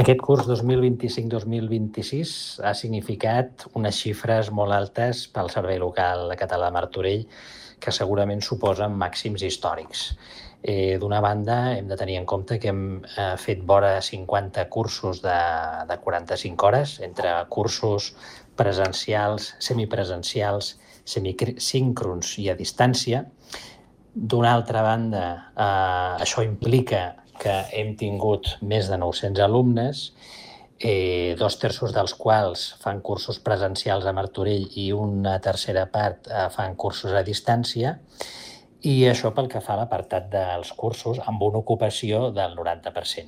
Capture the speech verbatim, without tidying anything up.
Aquest curs dos mil vint-i-cinc dos mil vint-i-sis ha significat unes xifres molt altes pel Servei Local Català de Martorell, que segurament suposen màxims històrics. Eh, D'una banda, hem de tenir en compte que hem eh, fet vora cinquanta cursos de, de quaranta-cinc hores, entre cursos presencials, semipresencials, semicíncrons i a distància. D'una altra banda, eh, això implica que hem tingut més de nou-cents alumnes, eh, dos terços dels quals fan cursos presencials a Martorell i una tercera part eh, fan cursos a distància, i això pel que fa a l'apartat dels cursos, amb una ocupació del noranta per cent.